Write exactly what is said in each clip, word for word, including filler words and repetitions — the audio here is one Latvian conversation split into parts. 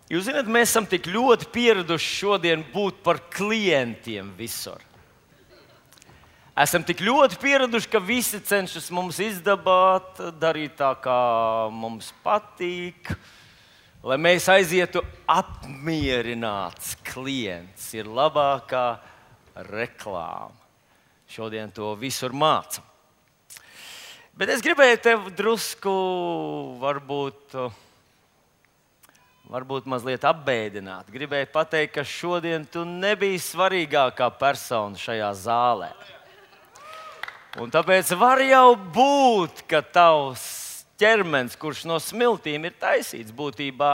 Jūs zināt, mēs esam tik ļoti pieraduši šodien būt par klientiem visur. Esam tik ļoti pieraduši, ka visi cenšas mums izdabāt, darīt tā, kā mums patīk, lai mēs aizietu apmierināts klients. Ir labākā reklāma. Šodien to visur māca. Bet es gribēju tev drusku, varbūt, varbūt mazliet apbēdināt. Gribēju pateikt, ka šodien tu nebija svarīgākā persona šajā zālē. Un tāpēc var jau būt, ka tavs ķermenis, kurš no smiltīm ir taisīts, būtībā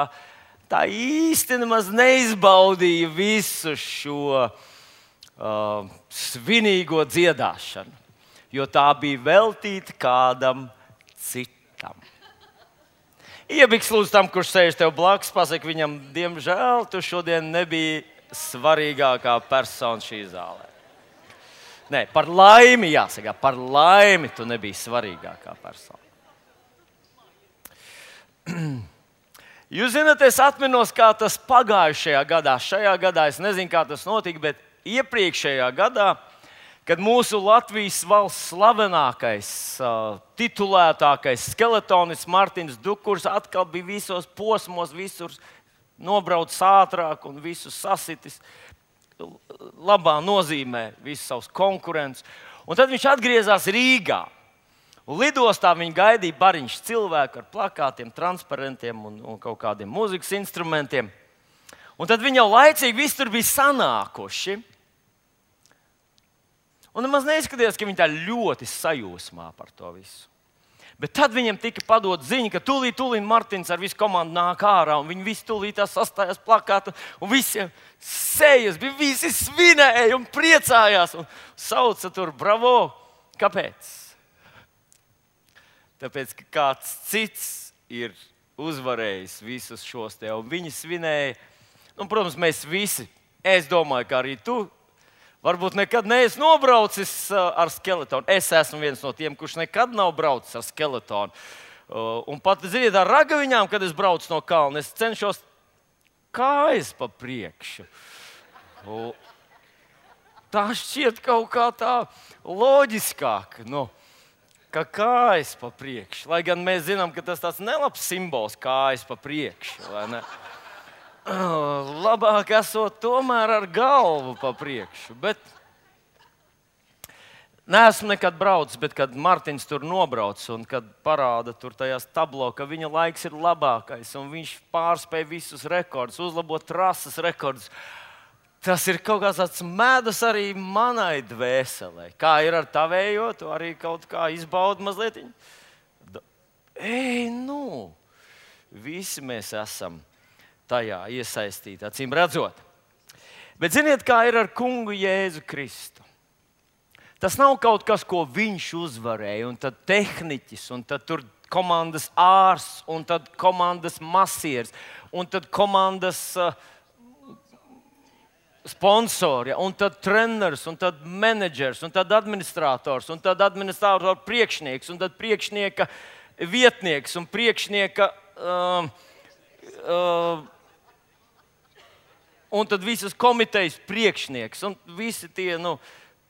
tā īsti nemaz neizbaudīja visu šo uh, svinīgo dziedāšanu, jo tā bija veltīta kādam citam. Iebiks lūdzu tam, kurš sēž tev blakus, pasaki viņam, diemžēl, tu šodien nebija svarīgākā persona šī zālē. Nē, par laimi jāsaka, par laimi tu nebija svarīgākā persona. Jūs zināt, es atminos, kā tas pagājušajā gadā. Šajā gadā es nezinu, kā tas notika, bet iepriekšējā gadā, kad mūsu Latvijas valsts slavenākais, uh, titulētākais skeletonists Martins Dukurs atkal bija visos posmos, visur nobraucis ātrāk un visus sasitis. Labā nozīmē visus savus konkurentus. Un tad viņš atgriezās Rīgā. Un lidostā viņa gaidīja bariņš cilvēku ar plakātiem, transparentiem un, un kaut kādiem mūzikas instrumentiem. Un tad viņi jau laicīgi visi tur bija sanākuši. Un nemaz neizskatījās, ka viņi tā ļoti sajūsmā par to visu. Bet tad viņiem tika padot ziņa, ka tūlīt, tūlīt Martins ar visu komandu nāk ārā, un viņi visi tūlīt sastājās plakātu, un visiem sejas bija, visi svinēja un priecājās, un sauca tur bravo. Kāpēc? Tāpēc, ka kāds cits ir uzvarējis visus šos te, un viņi svinēja. Un, protams, mēs visi, es domāju, ka arī tu, varbūt nekad neesi nobraucis ar skeletonu. Es esmu viens no tiem, kurš nekad nav braucis ar skeletonu. Un pat, ziniet, ar ragaviņām, kad es braucu no kalna, es cenšos kājas pa priekšu. Tā šķiet kaut kā tā loģiskāk, nu, ka kājas pa priekšu. Lai gan mēs zinām, ka tas tāds nelabs simbols kājas pa priekšu, vai ne? Labāk esot tomēr ar galvu pa priekšu. Bet neesmu nekad braucis, bet kad Martins tur nobrauc un kad parāda tur tajās tablo, ka viņa laiks ir labākais un viņš pārspēja visus rekordus, uzlabot trases rekordus, tas ir kaut kāds tāds medus arī manai dvēselē. Kā ir ar tavējo, tu arī kaut kā izbaudi mazliet. Ei, nu, visi mēs esam tajā iesaistīti, acīm redzot. Bet ziniet, kā ir ar kungu Jēzu Kristu? Tas nav kaut kas, ko viņš uzvarēja, un tad tehniķis, un tad tur komandas ārsts, un tad komandas masieris, un tad komandas uh, sponsori, un tad treneris, un tad menedžers, un tad administrators, un tad administratora priekšnieks, un tad priekšnieka vietnieks, un priekšnieka uh, uh, un tad visas komitejas priekšnieks, un visi tie, nu,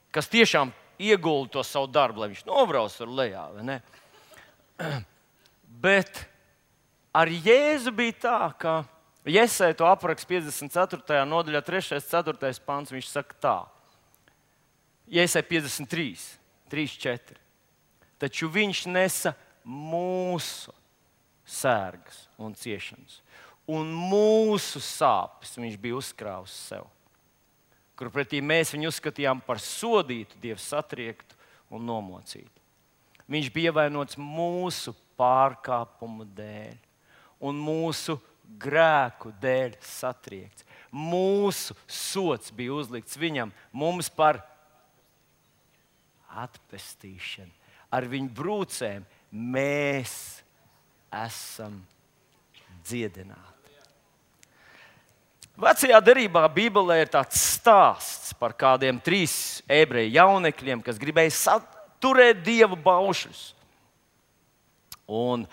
kas tiešām iegulda to savu darbu, lai viņš nobrauc tur lejā, vai ne? Bet ar Jēzu bija tā, ka Jesaja to apraksta piecdesmit ceturtajā nodaļā, trešais, ceturtais pants, viņš saka tā. Jesaja piecdesmit trīs, trīs, četri. Taču viņš nesa mūsu sērgas un ciešanas. Un mūsu sāpes viņš bija uzkrāvis sev, kur pretī mēs viņu uzskatījām par sodītu, Dievu satriektu un nomocītu. Viņš bija ievainots mūsu pārkāpumu dēļ un mūsu grēku dēļ satriekts. Mūsu sods bija uzlikts viņam, mums par atpestīšanu. Ar viņu brūcēm mēs esam dziedināti. Vecajā derībā Bībelē ir tāds stāsts par kādiem trīs ebreju jaunekļiem, kas gribēja turēt Dieva baušļus. Un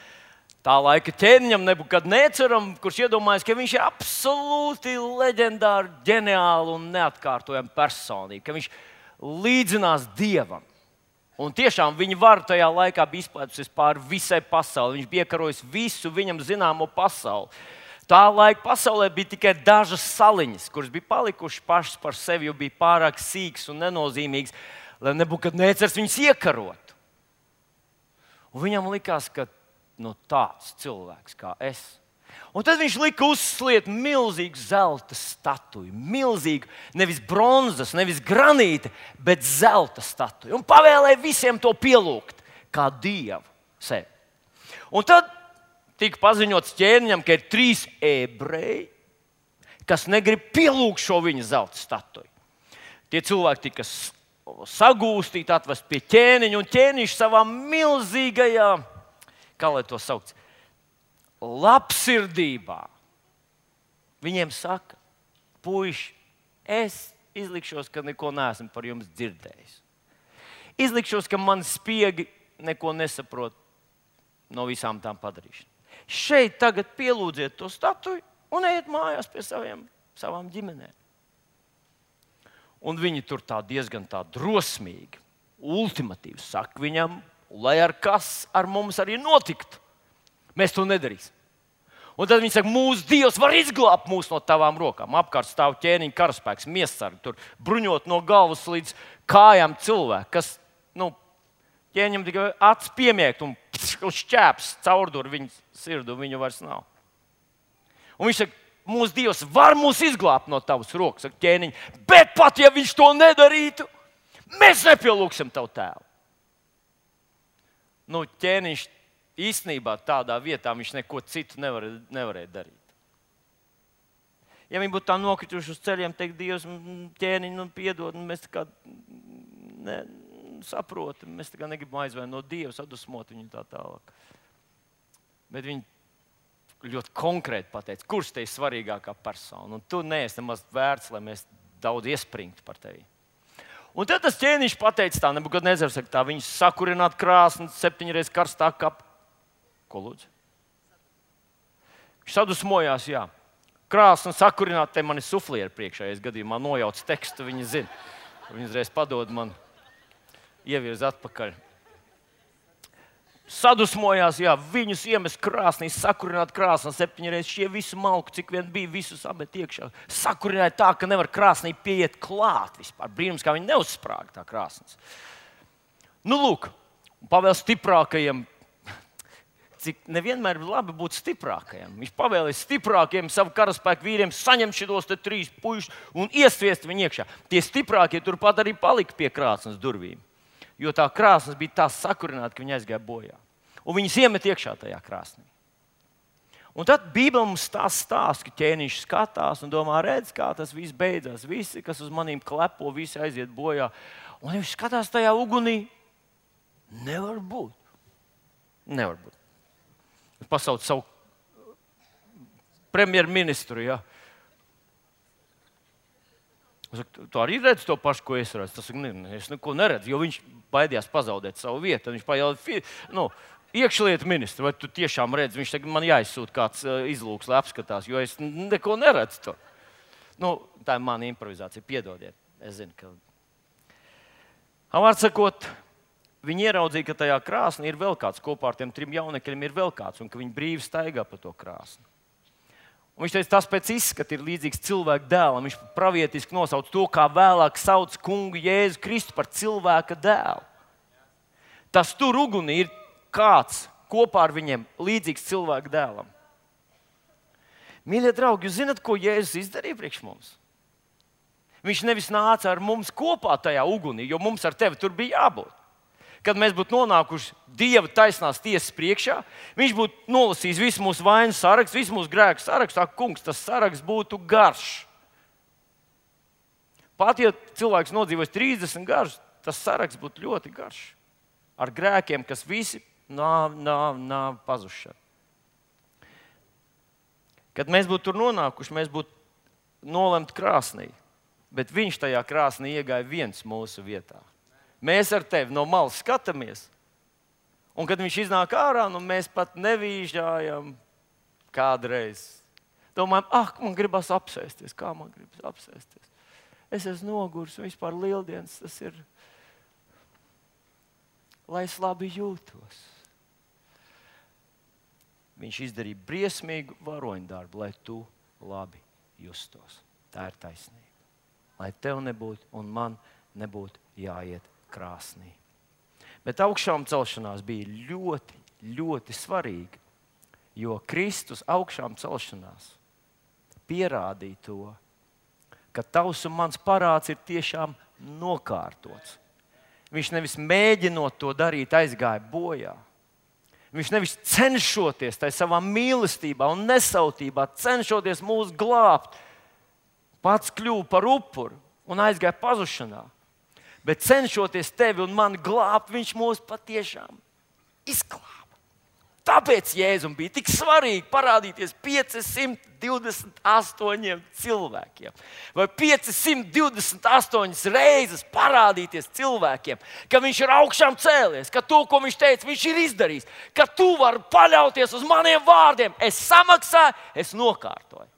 Tā laika ķēniņam Nebukadneceram, kurš iedomājas, ka viņš ir absolūti leģendāri, ģeniāli un neatkārtojami personība, ka viņš līdzinās Dievam. Un tiešām viņa vara tajā laikā bija izplētusies pāri visai pasaulei. Viņš bija iekarojis visu viņam zināmo pasauli. Tā laika pasaulē bija tikai dažas saliņas, kuras bija palikušas pašas par sevi, jo bija pārāk sīkas un nenozīmīgas, lai Nebukadnecars viņus iekarotu. Un viņam likās, ka nu, tāds cilvēks kā es. Un tad viņš lika uzsliet milzīgu zelta statuju. Milzīgu, nevis bronzas, nevis granīta, bet zelta statuju. Un pavēlēja visiem to pielūgt kā dievu sevi. Un tad tika paziņots ķēniņam, ka ir trīs ebreji, kas negrib pielūgt šo viņa zelta statuju. Tie cilvēki tika sagūstīti, atvest pie ķēniņa, un ķēniņš savā milzīgajā, kā lai to sauc, labsirdībā viņiem saka: puiši, es izlikšos, ka neko neesmu par jums dzirdējis. Izlikšos, ka mani spiegi neko nesaprot no visām tām padarīšanām. Šeit tagad pielūdziet to statuju un ejiet mājās pie saviem, savām ģimenēm. Un viņi tur tā diezgan tā drosmīgi, ultimatīvi saka viņam, lai ar kas ar mums arī notiktu, mēs to nedarīsim. Un tad viņi saka, mūsu Dievs var izglābt mūs no tavām rokām. Apkārt stāv ķēniņa karaspēks, miesargi, tur bruņot no galvas līdz kājām cilvēki, kas, nu, ķēniņam tikai acis piemiegt un šķēps caurdur viņa sirdu, viņu vairs nav. Un viņš saka, mūsu Dievs var mūs izglābt no tavas rokas, saka ķēniņa, bet pat ja viņš to nedarītu, mēs nepielūksim tavu tēvu. Nu, ķēniņš īstenībā tādā vietā viņš neko citu nevarēja, nevarēja darīt. Ja viņi būtu tā nokrituši uz ceļiem, teikt, Dievs, ķēniņ, nu, piedod, mēs tā kā ne, saprotam, mēs tā kā negribam aizvērt no Dieva, sadusmot viņu tā tālāk. Bet viņi ļoti konkrēti pateica, kurš te ir svarīgākā persona, un tu neesi nemaz vērts, lai mēs daudz iespringtu par tevi. Un tad tas ķēniņš pateica tā, Nebukadnecars saka tā, viņus sakurināt krāsni septiņreiz karstā kapa. Ko lūdzu? Viņš sadusmojās, jā. Krāsni sakurināt, te man ir suflieri priekšā, ja es gadījumā nojaucu tekstu, viņi zina. Viņi uzreiz padod man, ievirz atpakaļ. Sadusmojās, jā, viņus iemest krāsnī, sakurināt krāsnī septiņreiz, šie visu malku, cik vien bija, visu sabet iekšā. Sakurināja tā, ka nevar krāsnī pieiet klāt vispār. Brīnums, kā viņi neuzsprāga tā krāsnes. Nu, lūk, pavēl stiprākajiem, cik nevienmēr ir labi būt stiprākajiem. Viņš pavēlēja stiprākajiem savu karaspēku vīriem saņemt šitos te trīs puišus un iesviest viņu iekšā. Tie stiprākie turpat arī palika pie krāsnes durvīm. Jo tā krāsnes bija tā sakurināta, ka viņi aizgāja bojā. Un viņus iemet iekšā tajā krāsnī. Un tad Bībele mums tā stāsta, ka ķēniņš skatās un domā, redz, kā tas viss beidzās. Visi, kas uz manīm klepo, visi aiziet bojā. Un viņš skatās tajā ugunī. Nevar būt. Nevar būt. Pasauc savu premjerministru, jā. Saku, tu arī redzi to pašu, ko es redzu. Tas saka, ne, es neko neredzu, jo viņš baidījās pazaudēt savu vietu. Tad viņš pajautā, nu, iekšlietu ministru, vai tu tiešām redzi? Viņš saka, man jāizsūta kāds izlūks, lai apskatās, jo es neko neredzu to. Nu, tā ir mana improvizācija, piedodiet. Es zinu, ka... Vārds sakot, viņi ieraudzīja, ka tajā krāsnī ir vēl kāds, kopā ar tiem trim jaunekļiem ir vēl kāds, un ka viņi brīvi staigā pa to krāsni. Un viņš teica, tas pēc izskata ir līdzīgs cilvēka dēlam. Viņš pravietiski nosauc to, kā vēlāk sauc kungu Jēzu Kristu par cilvēka dēlu. Tas tur ugunī ir kāds kopā ar viņiem līdzīgs cilvēka dēlam. Mīļie draugi, jūs zināt, ko Jēzus izdarīja priekš mums? Viņš nevis nāca ar mums kopā tajā ugunī, jo mums ar tevi tur bija jābūt. Kad mēs būtu nonākuši Dieva taisnās tiesas priekšā, viņš būtu nolasījis visu mūsu vainu sarakstu, visu mūsu grēku sarakstu. Tā, kungs, tas saraksts būtu garš. Pat ja cilvēks nodzīvos trīsdesmit gadus, tas saraksts būtu ļoti garš. Ar grēkiem, kas visi nav, nav, nav pazuši. Kad mēs būtu tur nonākuši, mēs būtu nolemti krāsnī. Bet viņš tajā krāsnī iegāja viens mūsu vietā. Mēs ar tevi no malas skatāmies, Un kad viņš iznāk ārā, nu mēs pat nevīžājam kādreiz. Domājam, ah, man gribas apsēsties. Kā man gribas apsēsties? Es esmu noguris, un vispār lieldienas tas ir, lai es labi jūtos. Viņš izdarīja briesmīgu varoņdarbu, lai tu labi justos. Tā ir taisnība. Lai tev nebūtu un man nebūtu jāiet krāsnī. Bet augšām celšanās bija ļoti, ļoti svarīga, jo Kristus augšām celšanās pierādīja to, ka tavs un mans parāds ir tiešām nokārtots. Viņš nevis mēģinot to darīt, aizgāja bojā. Viņš nevis cenšoties tajā savā mīlestībā un nesautībā, cenšoties mūs glābt, pats kļuva par upuru un aizgāja pazušanā. Bet cenšoties tevi un mani glābt, viņš mūs patiešām izglāba. Tāpēc Jēzum bija tik svarīgi parādīties piecsimt divdesmit astoņiem cilvēkiem. Vai piecsimt divdesmit astoņas reizes parādīties cilvēkiem, ka viņš ir augšām cēlies, ka to, ko viņš teica, viņš ir izdarījis, ka tu vari paļauties uz maniem vārdiem. Es samaksāju, es nokārtoju.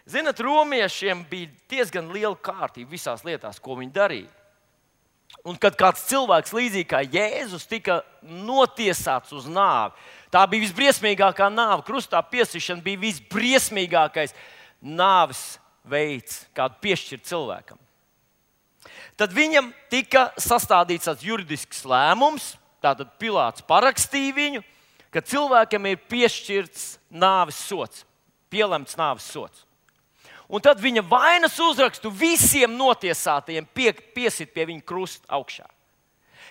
Zinat, romiešiem bija diezgan liela kārtība visās lietās, ko viņi darīja. Un kad kāds cilvēks, līdzīgi kā Jēzus, tika notiesāts uz nāvi, tā bija visbriesmīgākā nāve. Krustā piesišana bija visbriesmīgākais nāves veids, kādu piešķirt cilvēkam. Tad viņam tika sastādīts tāds juridisks lēmums, tātad Pilāts parakstīja viņu, ka cilvēkam ir piešķirts nāves sods, pielemts nāves sods. Un tad viņa vainas uzrakstu visiem notiesātajiem pie, piesit pie viņa krusta augšā.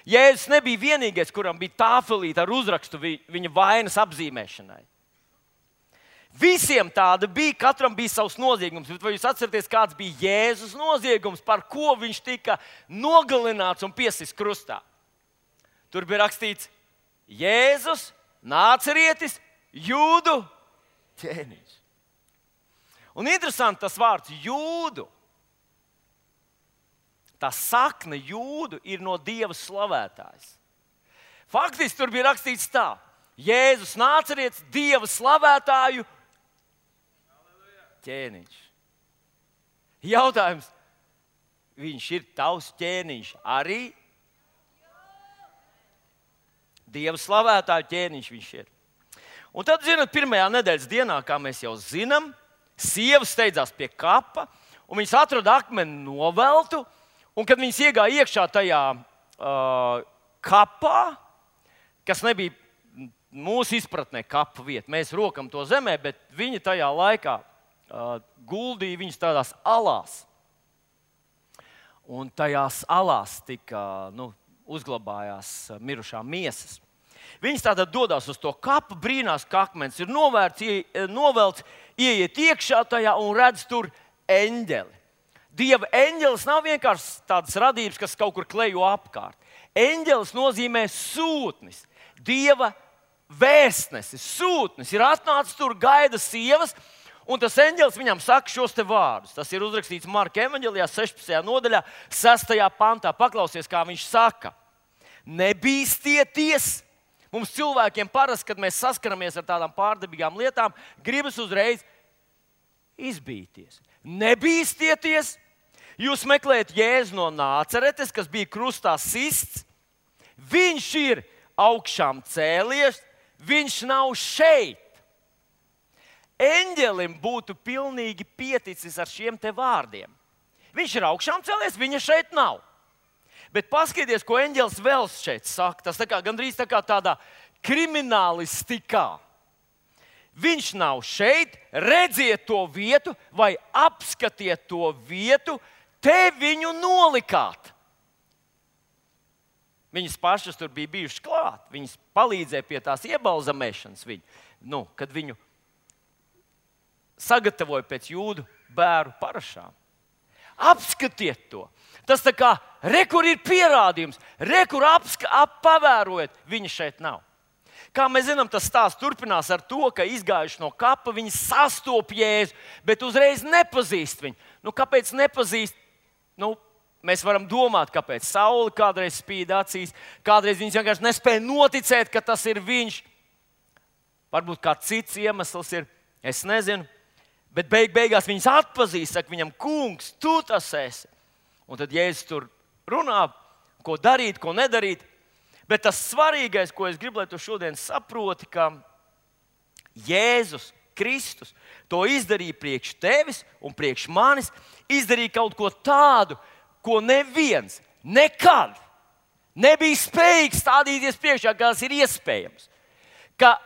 Jēzus nebija vienīgais, kuram bija tāfelīte ar uzrakstu viņa vainas apzīmēšanai. Visiem tāda bija, katram bija savs noziegums. Bet vai jūs atceraties, kāds bija Jēzus noziegums, par ko viņš tika nogalināts un piesits krustā? Tur bija rakstīts Jēzus, Nācerietis, Jūdu ķēniņš. Un interesanti tas vārds jūdu. Tā sakne jūdu ir no Dieva slavētājs. Faktiski tur bija rakstīts tā: Jēzus Nācerietis, Dieva slavētāju ķēniņš. Jautājums, viņš ir tavs ķēniņš arī? Dieva slavētāju ķēniņš viņš ir. Un tad, zināt, pirmajā nedēļas dienā, kā mēs jau zinām, sievas steidzās pie kapa, un viņas atrada akmeni noveltu, un kad viņas iegāja iekšā tajā uh, kapā, kas nebija mūsu izpratnē kapa vieta, mēs rokam to zemē, bet viņi tajā laikā uh, guldīja viņus tādās alās. Un tajās alās tika, nu, uzglabājās mirušā miesas. Viņas tātad dodas uz to kapu, brīnās, ka akmens ir novērts, novelts, ieiet iekšā tajā un redz tur eņģeli. Dieva eņģelis nav vienkārši tādas radības, kas kaut kur klejo apkārt. Eņģelis nozīmē sūtnis, Dieva vēstnesis, sūtnis. Ir atnācis tur, gaida sievas, un tas eņģelis viņam saka šos te vārdus. Tas ir uzrakstīts Marka evaņģelijā, sešpadsmitajā nodaļā, sestajā pantā. Paklausies, kā viņš saka. Nebīsties! Mums cilvēkiem parasti, kad mēs saskaramies ar tādām pārdabīgām lietām, gribas uzreiz izbīties. Nebīstieties! Jūs meklējat Jēzu no Nāceretes, kas bija krustā sists. Viņš ir augšām cēlies, viņš nav šeit. Eņģelim būtu pilnīgi pieticis ar šiem te vārdiem. Viņš ir augšām cēlies, viņa šeit nav. Bet paskatieties, ko eņģelis vēl šeit saka. Tas tā kā, gandrīz tā kā tādā kriminālistikā. Viņš nav šeit, redziet to vietu vai apskatiet to vietu, te viņu nolikāt. Viņas pašas tur bija bijušas klāt. Viņas palīdzēja pie tās iebalzamēšanas viņu, nu, kad viņu sagatavoja pēc jūdu bēru parašām. Apskatiet to. Tas tā kā, re, kur ir pierādījums, re, kur apska, ap, pavērojat, viņa šeit nav. Kā mēs zinām, tas stāsts turpinās ar to, ka izgājuši no kapa, viņi sastop Jēzu, bet uzreiz nepazīst viņu. Nu, kāpēc nepazīst? Nu, mēs varam domāt, kāpēc saule kādreiz spīd acīs, kādreiz viņš vienkārši nespēja noticēt, ka tas ir viņš. Varbūt kāds cits iemesls ir, es nezinu. Bet beig beigās viņas atpazīst, saka viņam, kungs, tu tas esi. Un tad Jēzus tur runā, ko darīt, ko nedarīt. Bet tas svarīgais, ko es gribu, lai tu šodien saproti, ka Jēzus Kristus to izdarīja priekš tevis un priekš manis, izdarīja kaut ko tādu, ko neviens nekad nebija spējīgs stādīties priekšā, kā tas ir iespējams. Ka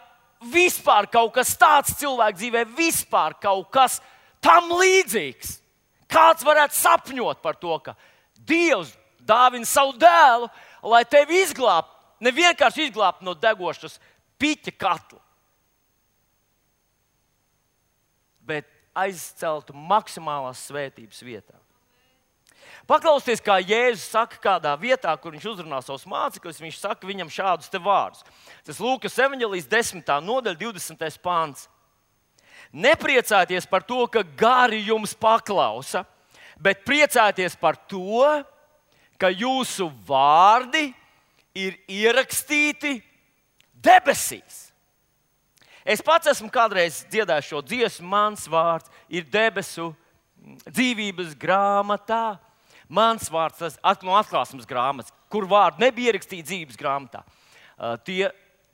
vispār kaut kas tāds cilvēku dzīvē, vispār kaut kas tam līdzīgs. Kāds varētu sapņot par to, ka Dievs dāvina savu dēlu, lai tevi izglābtu, ne vienkārši izglābtu no degošas piķa katla, bet aizceltu maksimālās svētības vietā. Paklausieties, kā Jēzus saka kādā vietā, kur viņš uzrunā savus mācekļus, viņš saka viņam šādus te vārdus. Tas Lūkas evaņģēlijas desmitā nodaļa, divdesmitais pants. Nepriecājieties par to, ka gari jums paklausa, bet priecājieties par to, ka jūsu vārdi ir ierakstīti debesīs. Es pats esmu kādreiz dziedājis šo dziesmu, mans vārds ir debesu dzīvības grāmatā. Mans vārds, tas no atklāsmes grāmatas, kur vārdi nebija ierakstīti dzīves grāmatā. Uh, tie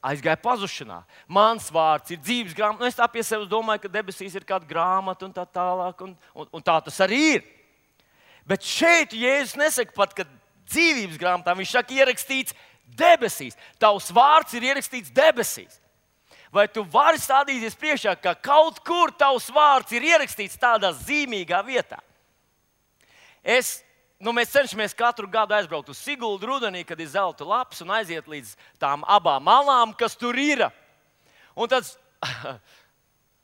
aizgāja pazušanā. Mans vārds ir dzīves grāmatā. Nu, es tā pie sevis domāju, ka debesīs ir kāda grāmata un tā tālāk, un, un, un tā tas arī ir. Bet šeit Jēzus nesaka pat, ka dzīvības grāmatā, viņš saka, ierakstīts debesīs. Tavs vārds ir ierakstīts debesīs. Vai tu vari stādīties priekšā, ka kaut kur tavs vārds ir ierakstīts tādā zīmīgā vietā? Es, nu, mēs cenšamies katru gadu aizbraukt uz Siguldu rudenī, kad ir zelta laps, un aiziet līdz tām abām malām, kas tur ir. Un tad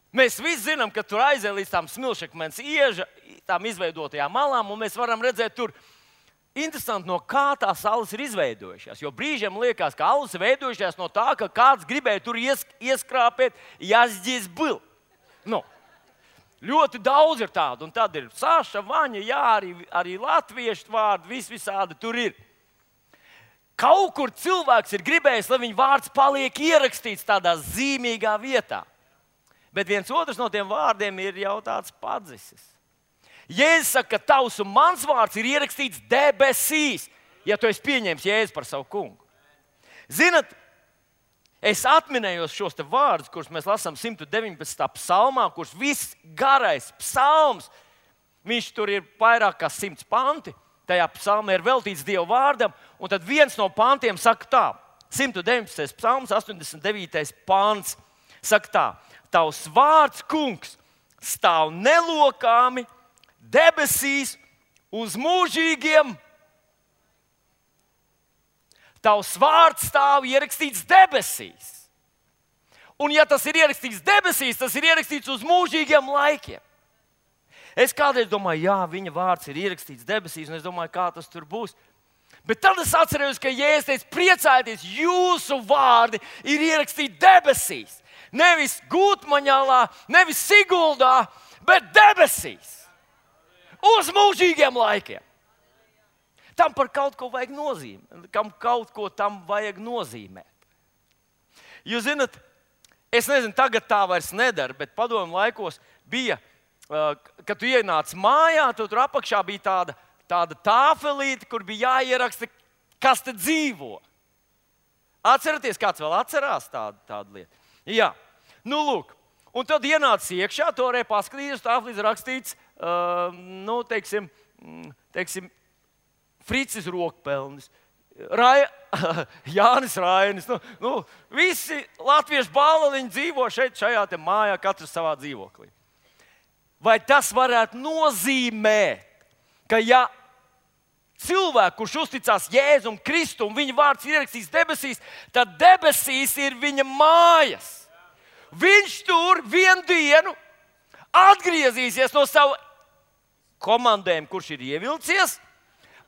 mēs visi zinām, ka tur aiziet līdz tām smilšakmens ieža, tām izveidotajām malām, un mēs varam redzēt tur, interesanti, no kā tās salas ir izveidojušās. Jo brīžiem liekas, ka alas ir veidojušās no tā, ka kāds gribēja tur ies, ieskrāpēt, jāsģies bil. Nu, ļoti daudz ir tādu, un tad ir Saša, Vaņa, jā, arī, arī latviešu vārdi, vis visādi tur ir. Kaut kur cilvēks ir gribējis, lai viņa vārds paliek ierakstīts tādā zīmīgā vietā. Bet viens otrs no tiem vārdiem ir jau tāds padzisis. Jēzus saka, ka tavs un mans vārds ir ierakstīts debesīs, ja tu esi pieņēmis Jēzu par savu kungu. Zinat, es atminējos šos te vārdus, kurus mēs lasām simt deviņpadsmitā psalmā, kurš viss garais psalms, viņš tur ir vairāk kā simts panti, tajā psalmā ir veltīts Dieva vārdam, un tad viens no pantiem saka tā, simt deviņpadsmitais psalms, astoņdesmit devītais pants, saka tā, tavs vārds, kungs, stāv nelokāmi debesīs uz mūžīgiem. Tavs vārds stāv ierakstīts debesīs. Un ja tas ir ierakstīts debesīs, tas ir ierakstīts uz mūžīgiem laikiem. Es kādreiz domāju, jā, viņa vārds ir ierakstīts debesīs, un es domāju, kā tas tur būs. Bet tad es atceros, ka Jēzus teica, priecājieties, jūsu vārdi ir ierakstīti debesīs. Nevis Gūtmaņālā, nevis Siguldā, bet debesīs. Uz mūžīgiem laikiem. Tam par kaut ko vajag nozīmēt. Kam kaut ko tam vajag nozīmēt. Jūs zināt, es nezinu, tagad tā vairs nedara, bet padomu laikos bija, kad tu ienāc mājā, tu tur apakšā bija tāda, tāda tāfelīte, kur bija jāieraksta, kas te dzīvo. Atceraties, kāds vēl atcerās tādu, tādu lietu? Jā, nu lūk. Un tad ienāc iekšā, to varēja paskatīties, tāfelīte rakstīts, Uh, nu, teiksim, teiksim, Fricis Rokpelnis, Rai, Jānis Rainis. Nu, nu, visi latviešu bāliņi dzīvo šeit, šajā te mājā, katrs savā dzīvoklī. Vai tas varētu nozīmēt, ka ja cilvēku, kurš uzticās Jēzum Kristu un viņa vārds ir ierakstīts debesīs, tad debesīs ir viņa mājas. Viņš tur vienu dienu atgriezīsies no sava komandējuma, kurš ir ievilcies,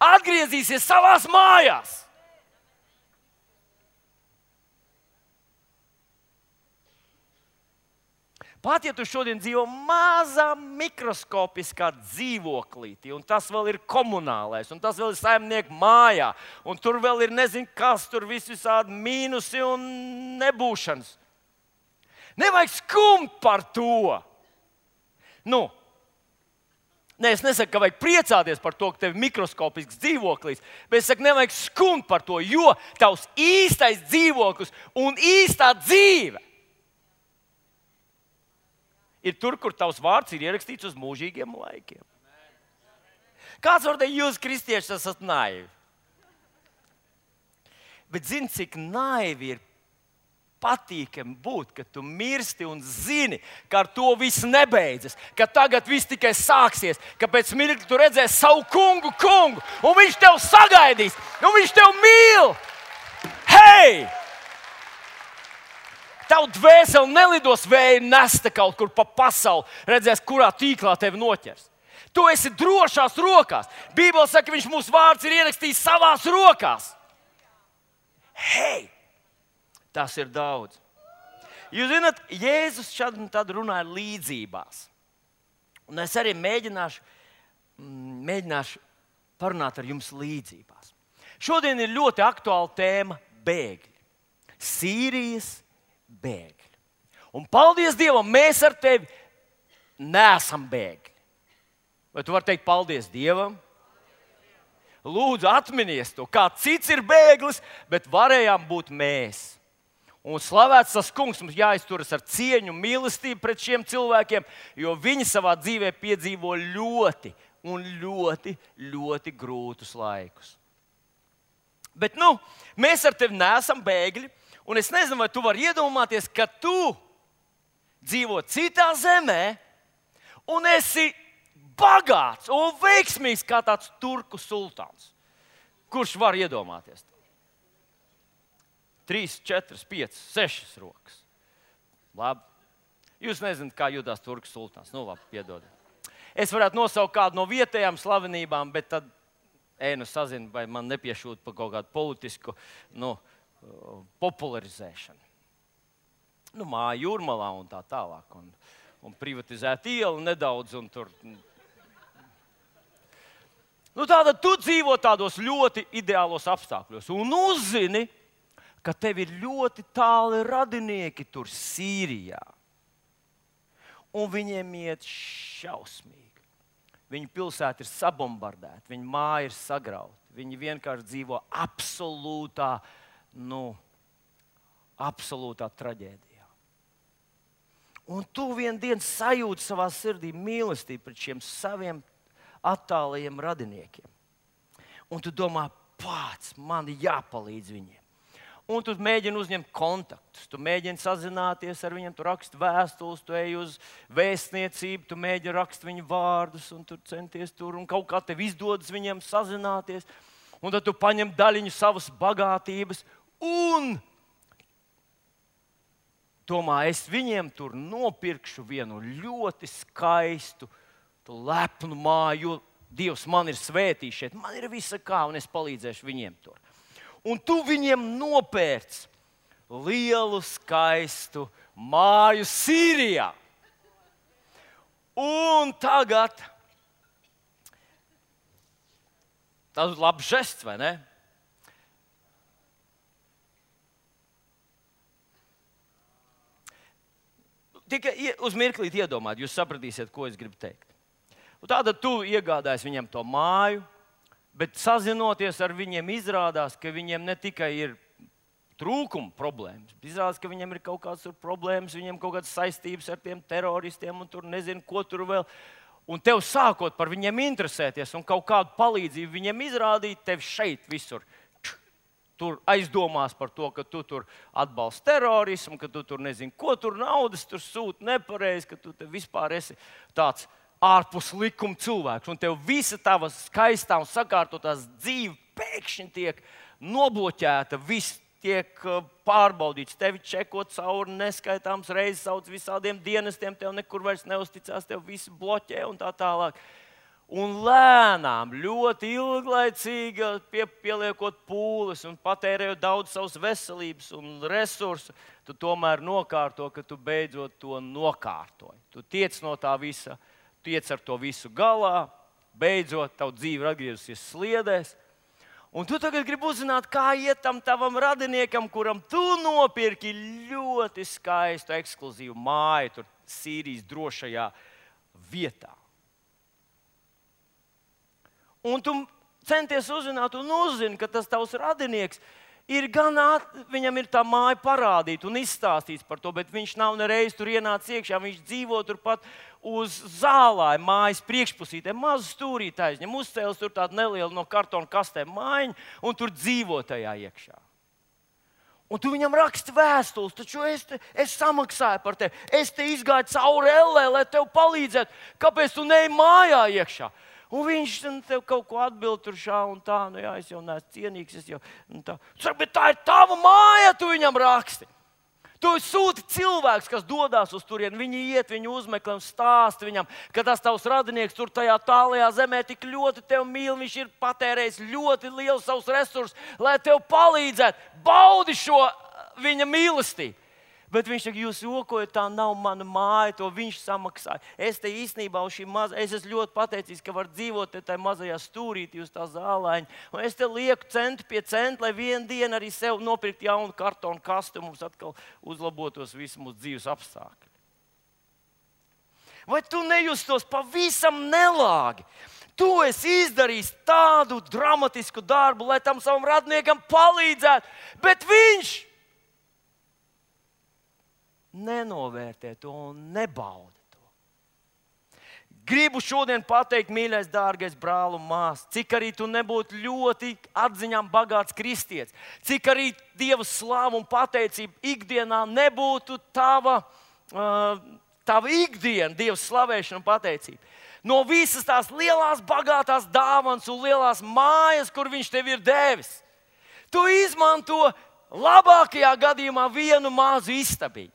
atgriezīsies savās mājās. pat ja tu šodien dzīvo mazā mikroskopiskā dzīvoklītī, un tas vēl ir komunālais, un tas vēl ir saimnieku mājā, un tur vēl ir nezinu kas, tur viss visādi mīnusi un nebūšanas. Nevajag skumt par to. Nu, ne, es nesaku, ka vajag priecāties par to, ka tev ir mikroskopisks dzīvoklis, bet es saku, nevajag skumt par to, jo tavs īstais dzīvoklis un īstā dzīve ir tur, kur tavs vārds ir ierakstīts uz mūžīgiem laikiem. Kāds var teikt, jūs, kristieši, esat naivi? Bet zini, cik naivi ir patīkami būt, ka tu mirsti un zini, ka ar to viss nebeidzas, ka tagad viss tikai sāksies, ka pēc mirkļa tu redzēsi savu kungu, kungu, un viņš tev sagaidīs, un viņš tev mīl. Hei! Tavu dvēseli nelidos vēja nesta kaut kur pa pasauli, redzēs, kurā tīklā tevi noķers. Tu esi drošās rokās. Bībele saka, ka viņš mūsu vārds ir ierakstījis savās rokās. Hei! Tas ir daudz. Jūs zināt, Jēzus šad un tad runāja līdzībās. Un es arī mēģināšu, mēģināšu parunāt ar jums līdzībās. Šodien ir ļoti aktuāla tēma – bēgļi. Sīrijas bēgļi. Un paldies Dievam, mēs ar tevi neesam bēgļi. Vai tu vari teikt paldies Dievam? Lūdzu, atminies to, kā cits ir bēglis, bet varējām būt mēs. Un slavēts tas kungs, mums jāizturas ar cieņu, mīlestību pret šiem cilvēkiem, jo viņi savā dzīvē piedzīvo ļoti un ļoti, ļoti grūtus laikus. Bet, nu, mēs ar tevi neesam bēgļi, un es nezinu, vai tu vari iedomāties, ka tu dzīvo citā zemē un esi bagāts un veiksmīgs kā tāds turku sultāns. Kurš var iedomāties to? Trīs, četras, piecas, sešas rokas. Labi. Jūs nezināt, kā jūtas turku sultāns. Nu, labi, piedodiet. Es varētu nosaukt kādu no vietējām slavenībām, bet tad ēnu sazinu, vai man nepiešūt par kaut kādu politisku nu, popularizēšanu. Nu, māja Jūrmalā un tā tālāk. Un, un privatizēt ielu nedaudz. Un tur. Nu, tātad tu dzīvo tādos ļoti ideālos apstākļos. Un uzzini, ka tev ir ļoti tāli radinieki tur Sīrijā. Un viņiem iet šausmīgi. Viņu pilsēta ir sabombardēta, viņu māja ir sagrauta. Viņi vienkārši dzīvo absolūtā, nu, absolūtā traģēdijā. Un tu vien dienu sajūti savā sirdī mīlestību pret šiem saviem attālajiem radiniekiem. Un tu domā, pats, man jāpalīdz viņiem. Un tu mēģini uzņemt kontaktus, tu mēģini sazināties ar viņiem, tu raksti vēstules, tu ej uz vēstniecību, tu mēģini rakstīt viņu vārdus, un tu centies tur, un kaut kā tev izdodas viņiem sazināties. Un tad tu paņem daļiņu savas bagātības un domā, es viņiem tur nopirkšu vienu ļoti skaistu, lepnu māju, jo Dievs man ir svētījis šeit, man ir visa kā, un es palīdzēšu viņiem tur. Un tu viņiem nopērc lielu, skaistu māju Sīrijā. Un tagad tas ir labs žests, vai ne? Tikai uz mirklīt iedomāt, jūs sapratīsiet, ko es gribu teikt. Un tātad tu iegādājies viņam to māju, bet sazinoties ar viņiem, izrādās, ka viņiem ne tikai ir trūkuma problēmas, bet izrādās, ka viņiem ir kaut kādas problēmas, viņiem kaut kādas saistības ar tiem teroristiem un tur nezinu, ko tur vēl. Un tev sākot par viņiem interesēties un kaut kādu palīdzību viņiem izrādīt, tev šeit visur tur aizdomās par to, ka tu tur atbalsti terorismu, ka tu tur nezinu, ko tur naudas tur sūti nepareizi, ka tu te vispār esi tāds ārpus likuma cilvēks, un tev visa tava skaistā un sakārtotās dzīve pēkšņi tiek nobloķēta, viss tiek pārbaudīts, tevi čekot cauri neskaitāms reizes, sauc visādiem dienestiem, tev nekur vairs neusticās, tev visi bloķē un tā tālāk. Un lēnām, ļoti ilglaicīgi pie, pieliekot pūles un patērējot daudz savas veselības un resursu, tu tomēr nokārto, ka tu beidzot to nokārtoji. Tu tiec no tā visa, tiec ar to visu galā, beidzot tavu dzīvi ir atgriezusies sliedēs. Un tu tagad gribi uzzināt, kā iet tam tavam radiniekam, kuram tu nopirki ļoti skaistu, ekskluzīvu māju tur Sīrijas drošajā vietā. Un tu centies uzzināt un uzzini, ka tas tavs radinieks ir gan, at, viņam ir tā māja parādīt un izstāstīts par to, bet viņš nav nereiz tur ienācis iekšā. Viņš dzīvo turpat uz zālāja mājas priekšpusītē, mazu stūrīti aizņem, uzcēlis tur tādu nelielu no kartona kastēm mājiņu un tur dzīvo tajā iekšā. Un tu viņam raksti vēstules, taču es, te, es samaksāju par tevi. Es te izgāju cauri ellē, lai tev palīdzētu. Kāpēc tu neej mājā iekšā? Un viņš tev kaut ko atbild tur šā un tā. Nu jā, es jau neesmu cienīgs. Es jau, tā. Saka, bet tā ir tava māja, tu viņam raksti. Tu sūti cilvēks, kas dodas uz turieni. Viņi iet, viņi uzmeklē un stāsta viņam, ka tas tavs radinieks tur tajā tālajā zemē tik ļoti tevi mīl. Viņš ir patērējis ļoti lielu savus resursus, lai tev palīdzētu. Baudi šo viņa mīlestību. Bet viņš saka, jūs jokojat, tā nav mana māja, to viņš samaksāja. Es te īstenībā uz šī maza, es esmu ļoti pateicīgs, ka var dzīvot te tajā mazajā stūrītī uz tā zālaiņa. Un es te lieku centu pie centu, lai vienu dienu arī sev nopirkt jaunu kartonu kastu un mums atkal uzlabotos visi mūsu dzīves apstākļi. Vai tu nejustos pavisam nelāgi? Tu esi izdarījis tādu dramatisku darbu, lai tam savam radniekam palīdzētu, bet viņš nenovērtē to un nebauda to. Gribu šodien pateikt, mīļais, dārgais brāl un māsa, cik arī tu nebūtu ļoti atziņām bagāts kristietis, cik arī Dieva slāva un pateicība ikdienā nebūtu tava, uh, tava ikdiena, Dieva slavēšana un pateicība. No visas tās lielās bagātās dāvanas un lielās mājas, kur viņš tev ir devis, tu izmanto labākajā gadījumā vienu mazu istabiņu.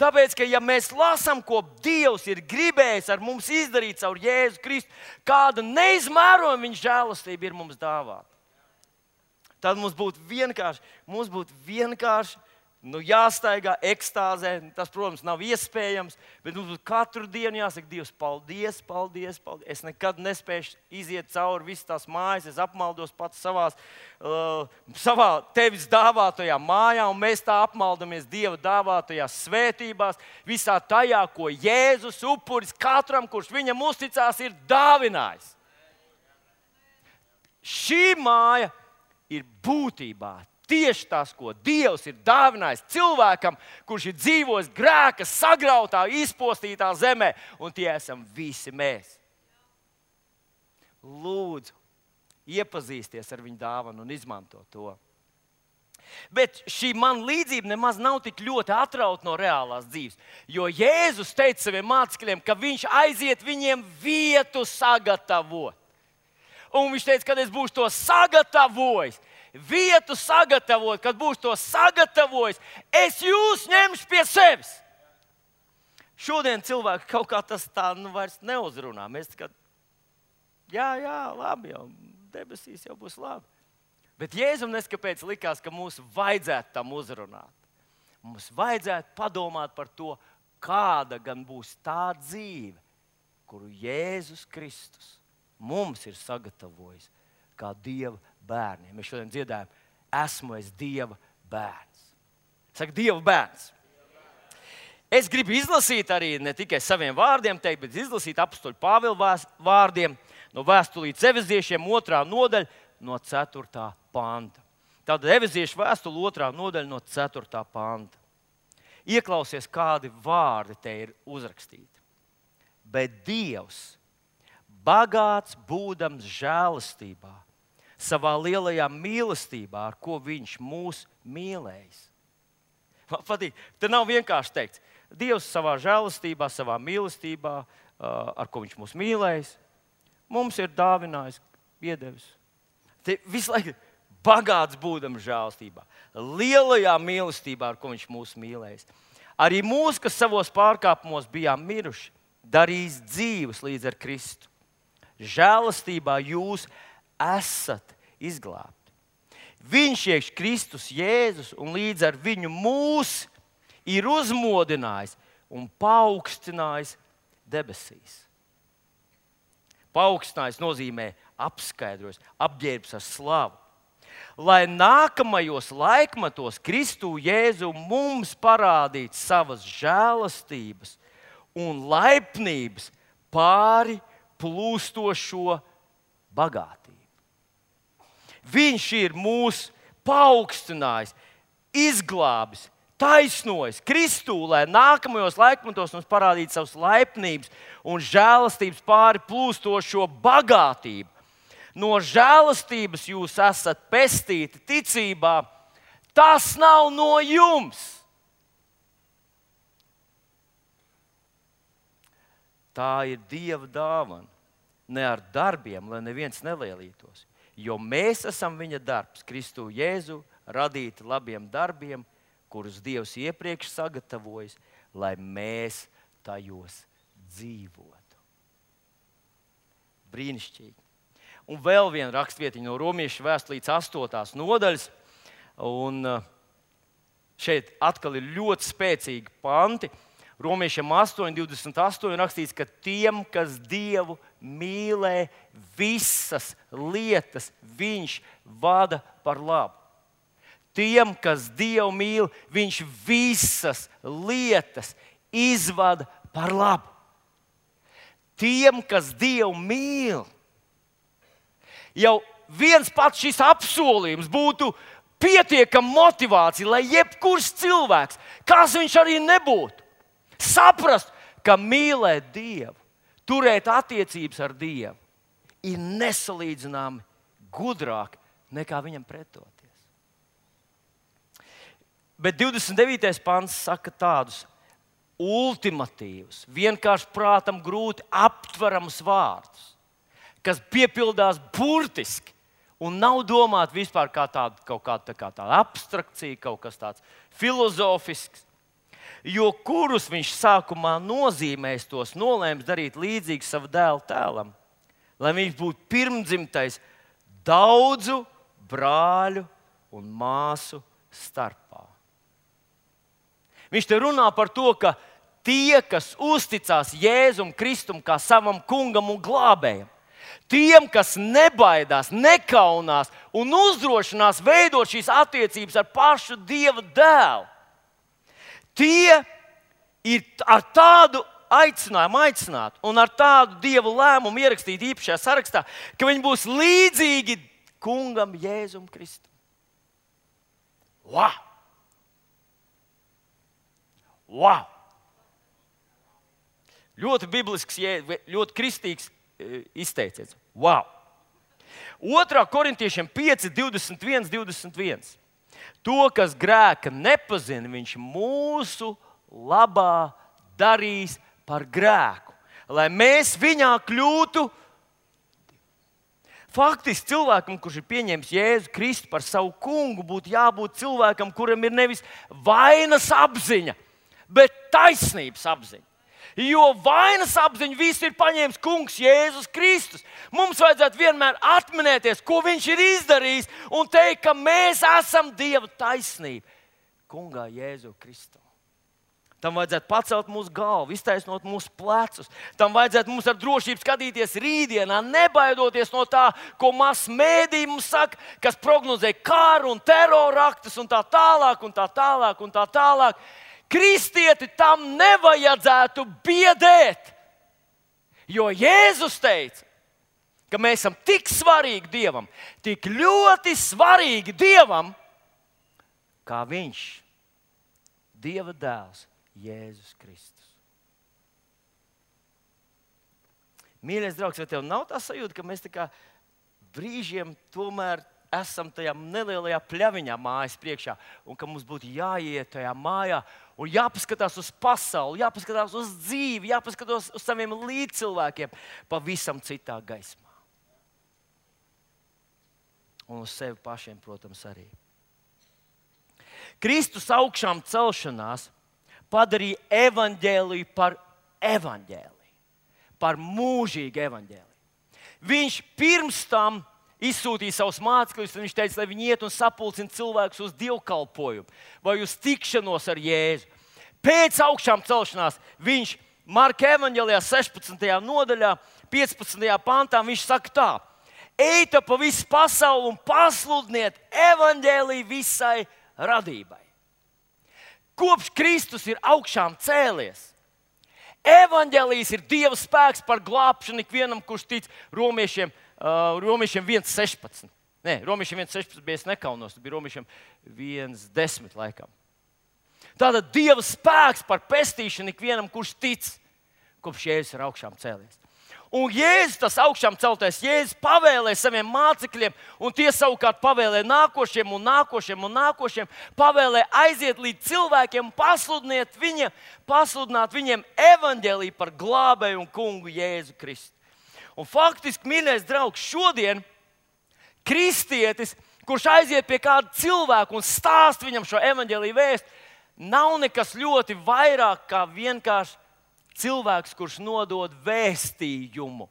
Tāpēc, ka ja mēs lasām, ko Dievs ir gribējis ar mums izdarīt caur Jēzu Kristu, kāda neizmērojama viņa žēlastība ir mums dāvāta, tad mums būtu vienkārši, mums būtu vienkārši nu, jāstaigā ekstāzē. Tas, protams, nav iespējams, bet mums būtu katru dienu jāsaka, Dievs, paldies, paldies, paldies. Es nekad nespēšu iziet cauri visas tās mājas, es apmaldos pats savās, uh, savā tevis dāvātajā mājā, un mēs tā apmaldamies Dieva dāvātajās svētībās, visā tajā, ko Jēzus upuris katram, kurš viņam uzticās, ir dāvinājis. Šī māja ir būtībā tieši tas, ko Dievs ir dāvinājis cilvēkam, kurš ir dzīvojis grēka sagrautā, izpostītā zemē, un tie esam visi mēs. Lūdzu, iepazīsties ar viņu dāvanu un izmanto to. Bet šī man līdzība nemaz nav tik ļoti atrauta no reālās dzīves, jo Jēzus teica saviem mācekļiem, ka viņš aiziet viņiem vietu sagatavot. Un viņš teica, kad es būšu to sagatavojis, vietu sagatavot, kad būs to sagatavojis, es jūs ņemšu pie sevis. Šodien cilvēki kaut kā tas tā nu, vairs neuzrunā. Mēs kā, jā, jā, labi, jau debesīs jau būs labi. Bet Jēzum neskapēc likās, ka mums vajadzētu tam uzrunāt. Mums vajadzētu padomāt par to, kāda gan būs tā dzīve, kuru Jēzus Kristus mums ir sagatavojis kā Dieva bērniem. Mēs šodien dziedājam, esmu es Dieva bērns. Saka, Dieva bērns. Es gribu izlasīt arī ne tikai saviem vārdiem, teikt, bet izlasīt apustuļa Pāvila vārdiem no vēstulītes Efeziešiem otrā nodaļa no ceturtā panta. Tātad Efeziešu vēstule otrā nodaļa no ceturtā panta. Ieklausies, kādi vārdi te ir uzrakstīti. Bet Dievs, bagāts būdams žēlastībā, savā lielajā mīlestībā, ar ko viņš mūs mīlējis. Man patīk, te nav vienkārši teikts, Dievs savā žēlastībā, savā mīlestībā, ar ko viņš mūs mīlējis, mums ir dāvinājis, iedevis. Te visu laiku bagāts būdams žēlastībā, lielajā mīlestībā, ar ko viņš mūs mīlējis. Arī mūs, kas savos pārkāpumos bijām miruši, darīs dzīvus līdz ar Kristu. žēlastībā jūs esat izglābti. Viņš iekš Kristus Jēzus un līdz ar viņu mūs ir uzmodinājis un paaugstinājis debesīs. Paaugstinājis nozīmē apskaidrojis, apģērbs ar slavu. Lai nākamajos laikmetos Kristu Jēzu mums parādītu savas žēlastības un laipnības pāri plūstošo bagātību. Viņš ir mūs paaugstinājis, izglābis, taisnojis Kristū, lai nākamajos laikmetos mums parādītu savas laipnības un žēlastības pāri plūstošo bagātību. No žēlastības jūs esat pestīti ticībā. Tas nav no jums. Tā ir Dieva dāvana, ne ar darbiem, lai neviens nelielītos. Jo mēs esam viņa darbs, Kristu Jēzu, radīti labiem darbiem, kurus Dievs iepriekš sagatavojis, lai mēs tajos dzīvotu. Brīnišķīgi. Un vēl viena rakstvietiņa no Romiešu vēstulītes astotās nodaļas. Un šeit atkal ir ļoti spēcīgi panti. Romiešiem astoņi divdesmit astoņi rakstīts, ka tiem, kas Dievu mīlē, visas lietas viņš vada par labu. Tiem, kas Dievu mīl, viņš visas lietas izvada par labu. Tiem, kas Dievu mīl, jau viens pats šis apsolījums būtu pietiekama motivācija, lai jebkurš cilvēks, kas viņš arī nebūtu, saprast, ka mīlēt Dievu, turēt attiecības ar Dievu, ir nesalīdzināmi gudrāk nekā viņam pretoties. Bet divdesmit devītais pants saka tādus ultimatīvus, vienkārši prātam grūti aptveramus vārdus, kas piepildās burtiski un nav domāti vispār kā tāda, kaut kāda, tā kā tāda abstrakcija, kaut kas tāds filozofisks. Jo kurus viņš sākumā nozīmēs, tos nolēms darīt līdzīgu savu dēlu tēlam, lai viņš būtu pirmdzimtais daudzu brāļu un māsu starpā. Viņš te runā par to, ka tie, kas uzticās Jēzum Kristum kā savam kungam un glābējam, tiem, kas nebaidās, nekaunās un uzdrošinās veidot šīs attiecības ar pašu Dieva dēlu, tie ir ar tādu aicinājumu aicināt un ar tādu Dieva lēmumu ierakstīt īpašajā sarakstā, ka viņi būs līdzīgi kungam Jēzum Kristum. Wow! Wow! Ļoti biblisks, ļoti kristīgs izteiciens. Wow! otrā korintiešiem pieci, divdesmit viens, divdesmit viens. To, kas grēka nepazina, viņš mūsu labā darīs par grēku, lai mēs viņā kļūtu. Faktiski cilvēkam, kurš ir pieņēmis Jēzu Kristu par savu kungu, būtu jābūt cilvēkam, kuram ir nevis vainas apziņa, bet taisnības apziņa. Jo vainas apziņu visu ir paņēmis kungs Jēzus Kristus. Mums vajadzētu vienmēr atminēties, ko viņš ir izdarījis, un teikt, ka mēs esam Dieva taisnība kungā Jēzu Kristu. Tam vajadzētu pacelt mūsu galvu, iztaisnot mūsu plecus. Tam vajadzētu mums ar drošību skatīties rītdienā, nebaidoties no tā, ko mass mēdī mums saka, kas prognozē karu un teroraktus un tā tālāk un tā tālāk un tā tālāk. Kristieti tam nevajadzētu biedēt, jo Jēzus teica, ka mēs esam tik svarīgi Dievam, tik ļoti svarīgi Dievam, kā viņš, Dieva dēls, Jēzus Kristus. Mīļais draugs, vai tev nav tā sajūta, ka mēs tā kā brīžiem tomēr esam tajā nelielajā pļaviņā mājas priekšā, un ka mums būtu jāiet tajā mājā un jāpaskatās uz pasauli, jāpaskatās uz dzīvi, jāpaskatās uz saviem līdzcilvēkiem pavisam citā gaismā. Un uz sevi pašiem, protams, arī. Kristus augšām celšanās padarīja evaņģēliju par evaņģēliju, par mūžīgu evaņģēliju. viņš pirms tam izsūtīja savus mācekļus, un viņš teica, lai viņi iet un sapulcina cilvēkus uz dievkalpojumu vai uz tikšanos ar Jēzu. Pēc augšām celšanās viņš Marka evaņģēlijā sešpadsmitajā nodaļā, piecpadsmitajā pantā, viņš saka tā: ejiet pa visu pasauli un pasludiniet evaņģēliju visai radībai. Kopš Kristus ir augšām cēlies, evaņģēlijs ir Dieva spēks par glābšanu ikvienam, kurš tic. Romiešiem, uh, romiešiem viens sešpadsmit. Nē, romiešiem viens sešpadsmit bija, es nekaunos, tas bija romiešiem viens desmit laikam. Tātad Dieva spēks par pestīšanu ikvienam, kurš tic, kopš Jēzus ir augšām cēlies. Un Jēzus, tas augšām celtais Jēzus, pavēlēja saviem mācekļiem, un tie savukārt pavēlēja nākošiem un nākošiem un nākošiem, pavēlēja aiziet līdz cilvēkiem un pasludināt viņiem, pasludināt viņiem evaņģēliju par glābēju un kungu Jēzu Kristu. Un faktiski, mīļais draugs, šodien kristietis, kurš aiziet pie kāda cilvēka un stāst viņam šo evaņģēliju vēstu, nav nekas ļoti vairāk kā vienkārši cilvēks, kurš nodod vēstījumu.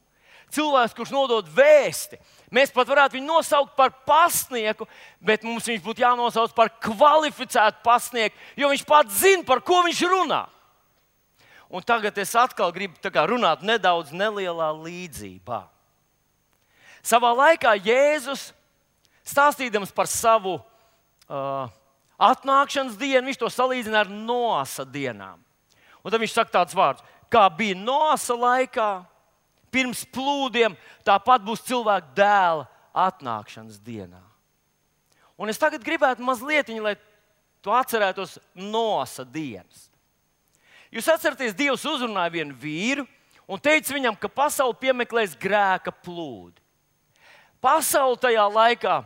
Cilvēks, kurš nodod vēsti. Mēs pat varētu viņu nosaukt par pasnieku, bet mums viņš būtu jānosauc par kvalificētu pasnieku, jo viņš pats zina, par ko viņš runā. Un tagad es atkal gribu tā kā runāt nedaudz nelielā līdzībā. Savā laikā Jēzus, stāstīdams par savu uh, atnākšanas dienu, viņš to salīdzina ar Noasa dienām. Un tad viņš saka tāds vārds: kā bija Noasa laikā, pirms plūdiem, tāpat būs cilvēka dēla atnākšanas dienā. Un es tagad gribētu mazliet, lai tu atcerētos Noasa dienas. Jūs atceraties, Dievs uzrunāja vienu vīru un teica viņam, ka pasauli piemeklēs grēka plūdi. Pasauli tajā laikā,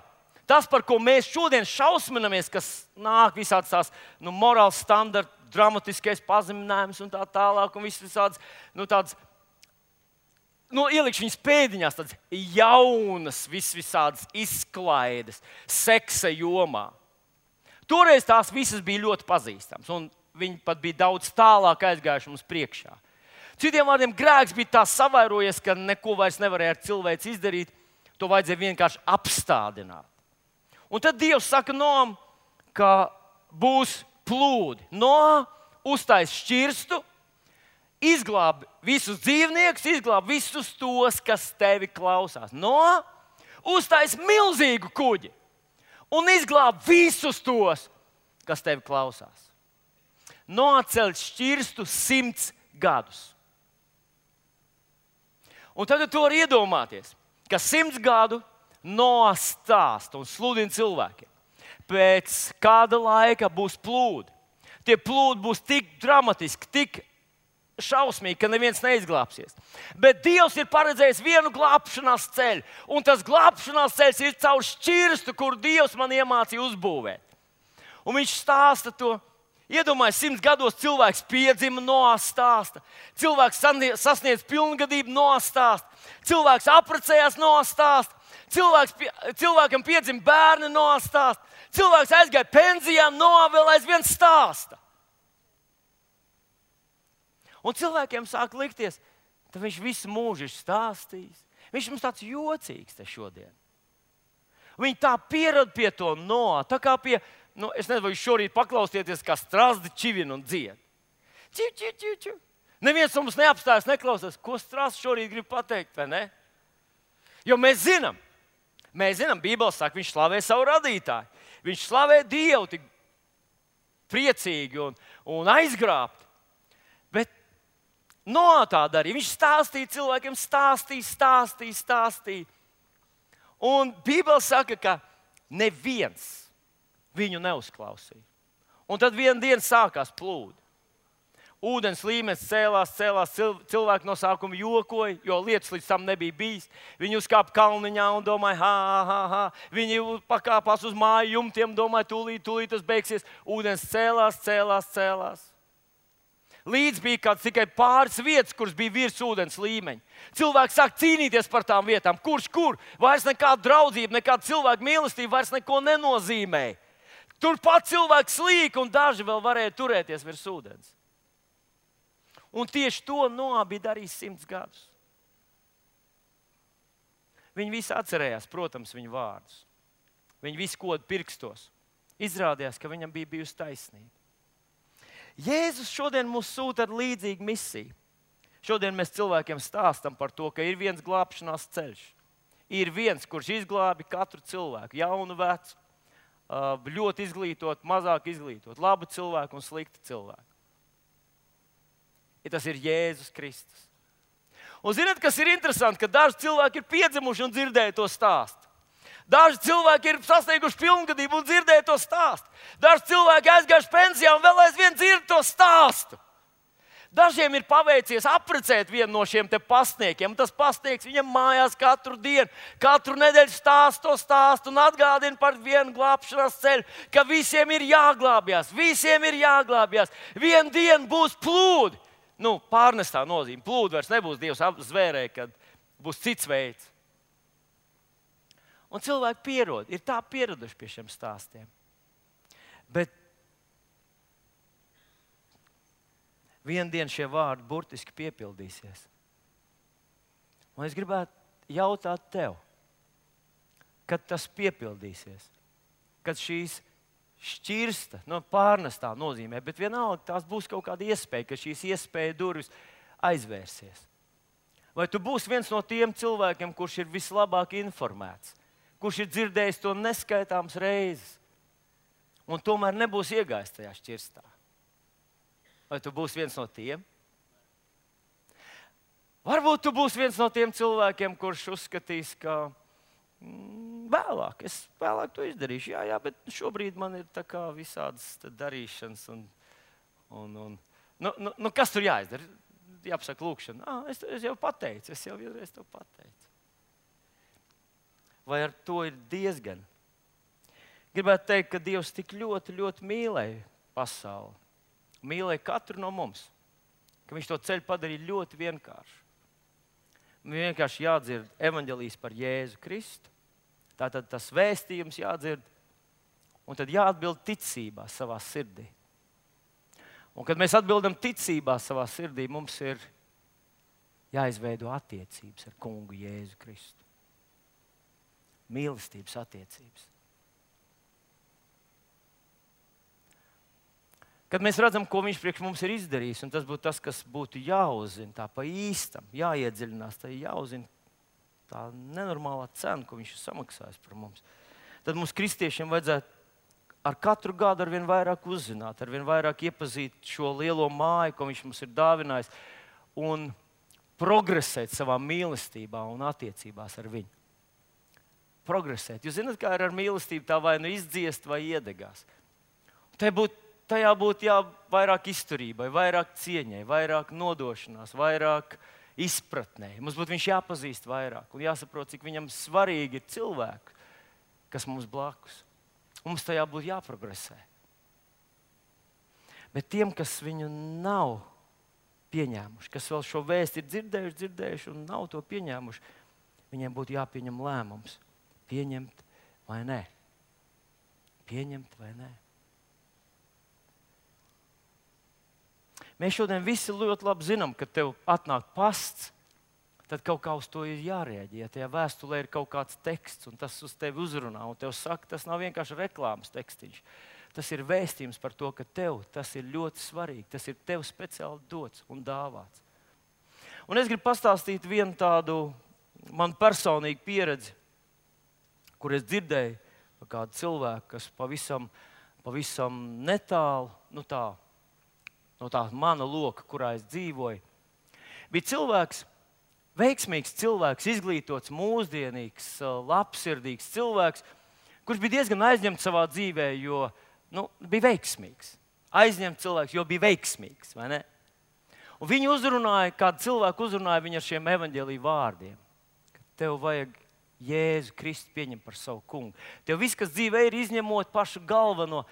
tas, par ko mēs šodien šausminamies, kas nāk visādas tās nu, morāls standarti, dramatiskais pazeminājums un tā tālāk, un viss visādas, nu tādas, nu ielikšu viņas pēdiņās, tādas jaunas, vis visādas izklaides, seksa jomā. Toreiz tās visas bija ļoti pazīstamas, un viņi pat bija daudz tālāk aizgājuši mums priekšā. Citiem vārdiem, grēks bija tā savairojies, ka neko vairs nevarēja ar cilvēku izdarīt, to vajadzēja vienkārši apstādināt. Un tad Dievs saka Noam, ka būs plūdi. Noā uztais šķirstu, izglāb visus dzīvniekus, izglāb visus tos, kas tevi klausās. Noā uztais milzīgu kuģi un izglāb visus tos, kas tevi klausās. Noā ceļ šķirstu simts gadus. Un tagad tu vari iedomāties, ka simts gadu Noā stāsta un sludina cilvēkiem. Pēc kāda laika būs plūdi. Tie plūdi būs tik dramatiski, tik šausmīgi, ka neviens neizglābsies. Bet Dievs ir paredzējis vienu glābšanās ceļu, un tas glābšanās ceļš ir caur šķirstu, kur Dievs man iemācīja uzbūvēt. Un viņš stāsta to. Iedomājies, simts gados cilvēks piedzima, Noā stāsta. Cilvēks sasniedz pilngadību, Noā stāsta. Cilvēks apprecējās, Noā stāsta. Cilvēks, cilvēkam piedzima bērni, Noā stāsta. Cilvēks aizgāja pensijā, Noā vēl aizvien stāsta. Un cilvēkiem sāk likties, ka viņš visu mūžu ir stāstījis. Viņš mums tāds jocīgs te šodien. Viņi tā pierad pie to Noā, tā kā pie... Nu, es nezinu, vai jūs šorīt paklausieties, kā strazdi čivina un dzied. Čiu, čiu, čiu, čiu. Neviens mums neapstājas, neklausās, ko strazdi šorīt grib pateikt, vai ne? Jo mēs zinām, mēs zinām, Bībele saka, viņš slavē savu radītāju. Viņš slavē Dievu tik priecīgi un, un aizgrābti. Bet Noā tā darīja. Viņš stāstīja cilvēkiem, stāstīja, stāstīja, stāstīja. Un Bībele saka, ka neviens viņu neuzklausīja. Un tad vienā dienā sākās plūdi. Ūdens līmenis cēlās, cēlās, cilvēki no sākuma jokoja, jo lietas līdz tam nebija bijis. Viņi uzkāpa kalniņā un domāja, ha, ha, ha. Viņi pakāpās uz māju jumtiem, domāja, tūlīt, tūlīt tas beigsies. Ūdens cēlās, cēlās, cēlās. Līdz bija kāds tikai pāris vietas, kuras bija virs ūdens līmeņa. Cilvēki sāk cīnīties par tām vietām. Kurš kur? Vairs nekāda draudzība, nekāda cilvēka mīlestība vairs neko nenozīmēja. Turpat cilvēki slīka un daži vēl varēja turēties virs ūdens. Un tieši to Noā bija darījis simts gadus. Viņi visi atcerējās, protams, viņa vārdus. Viņi visi koda pirkstos. Izrādījās, ka viņam bija bijusi taisnība. Jēzus šodien mūs sūta ar līdzīgu misiju. Šodien mēs cilvēkiem stāstam par to, ka ir viens glābšanās ceļš. Ir viens, kurš izglābi katru cilvēku, jaunu, vecu, ļoti izglītot, mazāk izglītot, labu cilvēku un sliktu cilvēku. Ja tas ir Jēzus Kristus. Un zināt, kas ir interesanti, ka daži cilvēki ir piedzimuši un dzirdēja to stāstu. Daži cilvēki ir sasnieguši pilngadību un dzirdēja to stāstu. Daži cilvēki aizgājuši pensijā un vēl aizvien dzird to stāstu. Dažiem ir paveicies apprecēt vienu no šiem te pasniekiem. Tas pasnieks viņam mājās katru dienu, katru nedēļu stāsta to stāstu un atgādina par vienu glābšanās ceļu, ka visiem ir jāglābjas, visiem ir jāglābjas. Vienu dienu būs plūdi. Nu, pārnestā nozīme. Plūdi vairs nebūs, Dievs apzvērēja, kad būs cits veids. Un cilvēki pierod, ir tā pieraduši pie šiem stāstiem. Bet vienu dienu šie vārdi burtiski piepildīsies. Un es gribētu jautāt tev, kad tas piepildīsies, kad šīs šķirsta, no pārnestā nozīmē, bet vienalga tās būs kaut kāda iespēja, ka šīs iespēja durvis aizvērsies. Vai tu būsi viens no tiem cilvēkiem, kurš ir vislabāk informēts, kurš ir dzirdējis to neskaitāmas reizes, un tomēr nebūs iegājis tajā šķirstā? Vai tu būsi viens no tiem? Varbūt tu būsi viens no tiem cilvēkiem, kurš uzskatīs, ka mm, vēlāk, es vēlāk to izdarīšu. Jā, jā, bet šobrīd man ir tā kā visādas darīšanas. Un, un, un, nu, nu, nu, kas tur jāizdara? Jāpasaka lūkšana. Ah, es, es jau pateicu, es jau vienreiz to pateicu. Vai ar to ir diezgan? Gribētu teikt, ka Dievs tik ļoti, ļoti mīlēja pasauli. Mīlēja katru no mums, ka viņš to ceļu padarīja ļoti vienkāršu. Viņam vienkārši jādzird evaņģēlijs par Jēzu Kristu, tātad tas vēstījums jādzird, un tad jāatbild ticībā savā sirdī. Un kad mēs atbildam ticībā savā sirdī, mums ir jāizveido attiecības ar kungu Jēzu Kristu. Mīlestības attiecības. Kad mēs redzam, ko viņš priekš mums ir izdarījis, un tas būtu tas, kas būtu jāuzzina, tā pa īstam, jāiedziļinās, tā jāuzzina tā nenormālā cena, ko viņš ir samaksājis par mums, tad mums kristiešiem vajadzētu ar katru gadu ar vien vairāk uzzināt, ar vien vairāk iepazīt šo lielo māju, ko viņš mums ir dāvinājis, un progresēt savā mīlestībā un attiecībās ar viņu. Progresēt. Jūs zināt, kā ir ar mīlestību, tā vai nu izdziest, vai iedegās. Tā būtu Tajā būtu jā, vairāk izturībai, vairāk cieņai, vairāk nodošanās, vairāk izpratnē. Mums būtu viņš jāpazīst vairāk un jāsaprot, cik viņam svarīgi ir cilvēki, kas mums blakus. Mums tajā būtu jāprogresē. Bet tiem, kas viņu nav pieņēmuši, kas vēl šo vēstu ir dzirdējuši, dzirdējuši un nav to pieņēmuši, viņiem būtu jāpieņem lēmums. Pieņemt vai nē? Pieņemt vai nē? Mēs šodien visi ļoti labi zinām, ka tev atnāk pasts, tad kaut kā uz to ir jārēģē. Ja tajā vēstulē ir kaut kāds teksts, un tas uz tevi uzrunā, un tev saka, tas nav vienkārši reklāmas tekstiņš. Tas ir vēstījums par to, ka tev tas ir ļoti svarīgi. Tas ir tev speciāli dots un dāvāts. Un es gribu pastāstīt vienu tādu man personīgu pieredzi, kur es dzirdēju par kādu cilvēku, kas pavisam, pavisam netālu, nu tā, no tā mana loka, kurā es dzīvoju, bija cilvēks, veiksmīgs cilvēks, izglītots, mūsdienīgs, labsirdīgs cilvēks, kurš bija diezgan aizņemts savā dzīvē, jo nu, bija veiksmīgs. Aizņemts cilvēks, jo bija veiksmīgs, vai ne? Un viņi uzrunāja, kādu cilvēku uzrunāja viņu ar šiem evaņģēlija vārdiem. Ka tev vajag Jēzu Kristu pieņemt par savu kungu. Tev viss, kas dzīvē ir, izņemot pašu galveno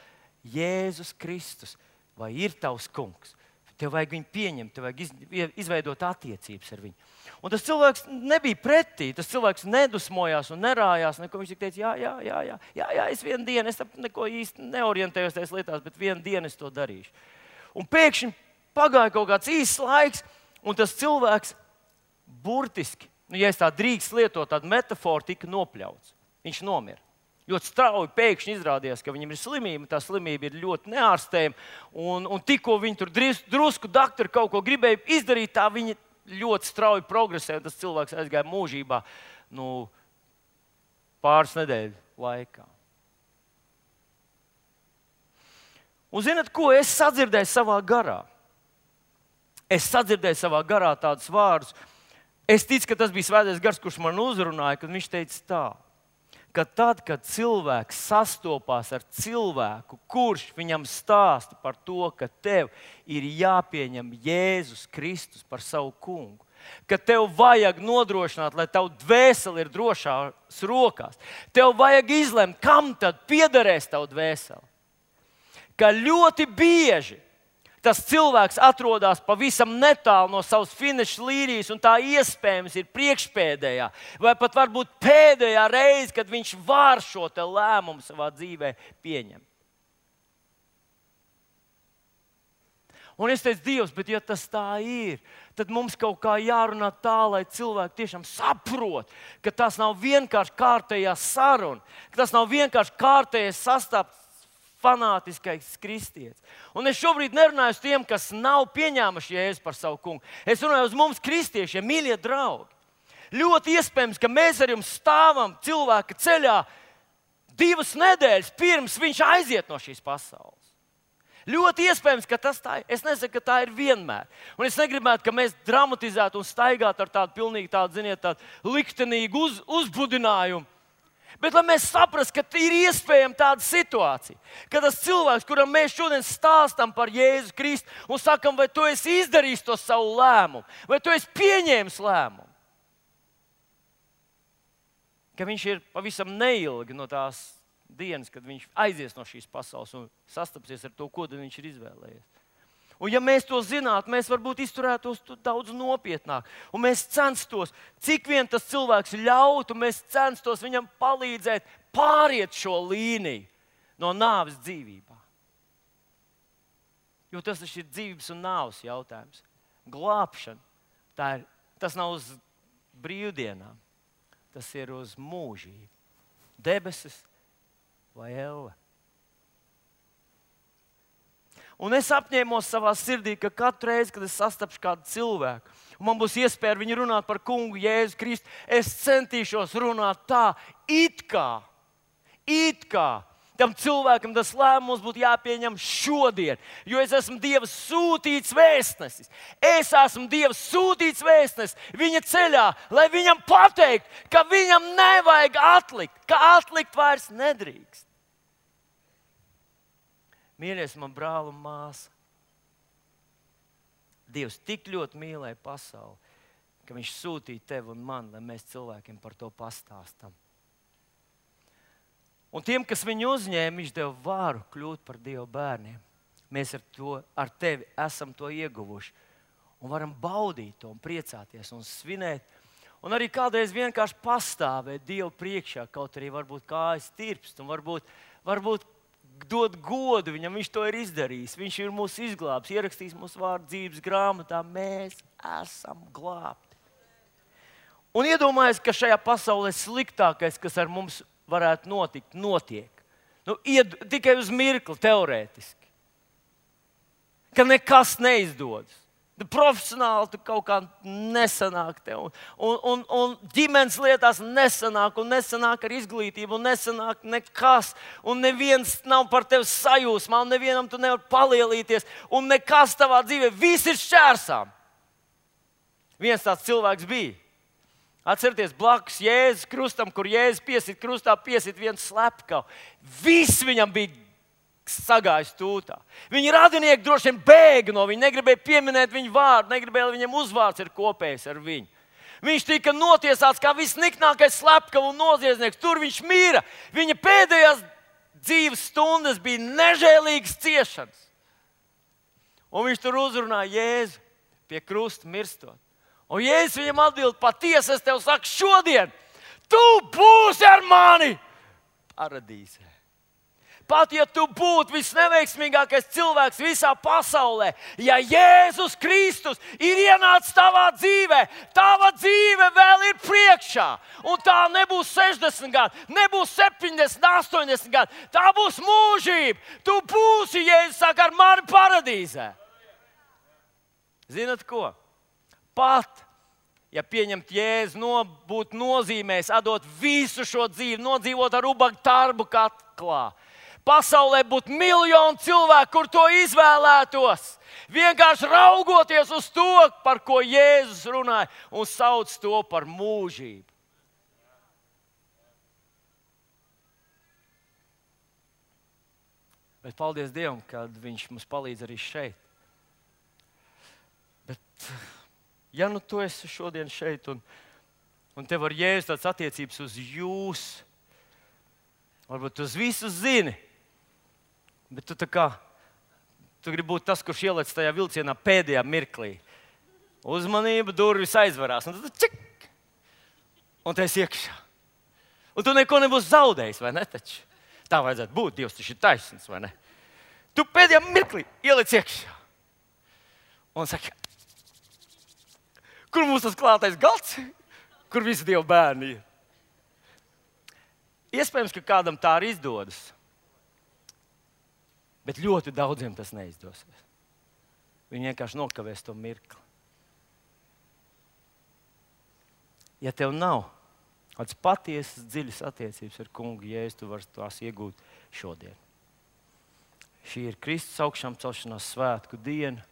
Jēzus Kristus. Vai ir tavs kungs? Tev vajag viņu pieņemt, tev vajag izveidot attiecības ar viņu. Un tas cilvēks nebija pretī, tas cilvēks nedusmojās un nerājās, neko. Viņš teica, jā, jā, jā, jā, jā, jā, es vienu dienu, es neko īsti neorientējos tajās lietās, bet vienu dienu es to darīšu. Un pēkšņi pagāja kaut kāds īsts laiks, un tas cilvēks burtiski nu, ja es tā drīkst lietot tādu metaforu, tika nopļauts. Viņš nomira. Ļoti strauji pēkšņi izrādījās, ka viņam ir slimība, tā slimība ir ļoti neārstējama. Un, un tikko viņi tur drusku doktori kaut ko gribēja izdarīt, tā viņi ļoti strauji progresēja, un tas cilvēks aizgāja mūžībā nu, pāris nedēļu laikā. Un zināt, ko es sadzirdēju savā garā? Es sadzirdēju savā garā tādus vārdus. Es ticu, ka tas bija Svētais Gars, kurš man uzrunāja, kad viņš teica tā, ka tad, kad cilvēks sastopās ar cilvēku, kurš viņam stāsta par to, ka tev ir jāpieņem Jēzus Kristus par savu kungu, ka tev vajag nodrošināt, lai tavu dvēseli ir drošās rokās, tev vajag izlemt, kam tad piederēs tavu dvēseli. Ka ļoti bieži tas cilvēks atrodas pavisam netālu no savas finiša līnijas, un tā iespējams ir priekšpēdējā, vai pat varbūt pēdējā reize, kad viņš var šo te lēmumu savā dzīvē pieņemt. Un es teicu, Dievs, bet ja tas tā ir, tad mums kaut kā jārunā tā, lai cilvēki tiešām saprot, ka tas nav vienkārši kārtējā saruna, ka tas nav vienkārši kārtējais sastāvs, fanātiskais kristietis. Un es šobrīd nerunāju uz tiem, kas nav pieņēmuši Jēzu par savu kungu. Es runāju uz mums, kristiešiem, mīļie draugi. Ļoti iespējams, ka mēs ar jums stāvam cilvēka ceļā divas nedēļas pirms viņš aiziet no šīs pasaules. Ļoti iespējams, ka tas tā ir. Es nesaku, ka tā ir vienmēr. Un es negribētu, ka mēs dramatizētu un staigātu ar tādu pilnīgi tādu, ziniet, tādu liktenīgu uz, uzbudinājumu. Bet lai mēs saprastu, ka ir iespējama tāda situācija, ka tas cilvēks, kuram mēs šodien stāstam par Jēzu Kristu un sakam, vai tu esi izdarījis to savu lēmumu, vai tu esi pieņēmis lēmumu, ka viņš ir pavisam neilgi no tās dienas, kad viņš aizies no šīs pasaules un sastapsies ar to, ko viņš ir izvēlējies. Un ja mēs to zinātu, mēs varbūt izturētos daudz nopietnāk. Un mēs censtos, cik vien tas cilvēks ļautu, mēs censtos viņam palīdzēt pāriet šo līniju no nāves dzīvībā. Jo tas taču ir dzīvības un nāves jautājums. Glābšana, tā ir, tas nav uz brīvdienām, tas ir uz mūžību. Debesis vai elle. Un es apņēmos savā sirdī, ka katru reizi, kad es sastapšu kādu cilvēku, un man būs iespēja ar viņu runāt par kungu Jēzu Kristu, es centīšos runāt tā, it kā, it kā tam cilvēkam tas lēmums būtu jāpieņem šodien, jo es esmu Dieva sūtīts vēstnesis. Es esmu Dieva sūtīts vēstnesis viņa ceļā, lai viņam pateikt, ka viņam nevajag atlikt, ka atlikt vairs nedrīkst. Mīļais, man brāl un māsa, Dievs tik ļoti mīlēja pasauli, ka viņš sūtīja tevi un mani, lai mēs cilvēkiem par to pastāstam. Un tiem, kas viņu uzņēma, viņš deva varu kļūt par Dieva bērniem. Mēs ar, to, ar tevi esam to ieguvuši un varam baudīt to un priecāties un svinēt. Un arī kādreiz vienkārši pastāvēt Dievu priekšā, kaut arī varbūt kājas tirpst un varbūt, varbūt dod godu viņam, viņš to ir izdarījis. Viņš ir mūs izglābs, ierakstījis mūsu vārdu dzīves grāmatā. Mēs esam glābti. Un iedomājies, ka šajā pasaulē sliktākais, kas ar mums varētu notikt, notiek. Nu, ied, tikai uz mirkli, teorētiski. Ka nekas neizdodas. Profesionāli tu kaut kā nesanāk tev. Un, un, un, un ģimenes lietās nesanāk, un nesanāk ar izglītību, un nesanāk nekas. Un neviens nav par tevi sajūsmā, un nevienam tu nevar palielīties. Un nekas tavā dzīvē, viss ir šķērsām. Viens tāds cilvēks bija. Atcerieties, blakus Jēzus krustam, kur Jēzus piesit krustā, piesit viens slepkavu. Viss viņam bija sagājis tūtā. Viņa radinieki droši vien bēga no viņa, negribēja pieminēt viņu vārdu, negribēja, lai viņam uzvārds ir kopējs ar viņu. Viņš tika notiesāts kā visniknākais slepkava un noziedznieks. Tur viņš mīra. Viņa pēdējās dzīves stundas bija nežēlīgas ciešanas. Un viņš tur uzrunāja Jēzu pie krusta mirstot. Un Jēzus viņam atbild, patiesi es tev saku šodien, tu būsi ar mani paradīzē. Pat ja tu būtu visneveiksmīgākais cilvēks visā pasaulē, ja Jēzus Kristus ir ienācis tavā dzīvē, tava dzīve dzīve vēl ir priekšā. Un tā nebūs sešdesmit gadi, nebūs septiņdesmit, astoņdesmit gadi. Tā būs mūžība. Tu būsi, Jēzus saka, ar mani paradīzē. Zinat ko? Pat, ja pieņemt Jēzu, no, būt nozīmēs, atdot visu šo dzīvi, nodzīvot ar ubagu tarbu katlā. Pasaulē būtu miljoni cilvēku, kur to izvēlētos. Vienkārši raugoties uz to, par ko Jēzus runāja, un sauc to par mūžību. Bet paldies Dievam, ka Viņš mums palīdz arī šeit. Bet, ja nu tu esi šodien šeit, un, un tev ar Jēzu tāds attiecības uz jūs, varbūt tu uz visu zini, bet tu tā kā, tu gribi būt tas, kurš ielec tajā vilcienā pēdējā mirklī. Uzmanība, durvis aizvarās, un tad čik! Un tu esi iekšā. Un tu neko nebūs zaudējis, vai ne taču? Tā vajadzētu būt, Dievs taču ir taisnīgs, vai ne? Tu pēdējā mirklī ielec iekšā. Un saka, kur mums tas klātais galds? Kur visi Dieva bērni ir? Iespējams, ka kādam tā arī izdodas. Bet ļoti daudziem tas neizdosies. Viņi vienkārši nokavēs to mirkli. Ja tev nav kāds patiesas, dziļas attiecības ar kungu Jēzu, tu vari tās iegūt šodien. Šī ir Kristus augšām celšanās svētku diena,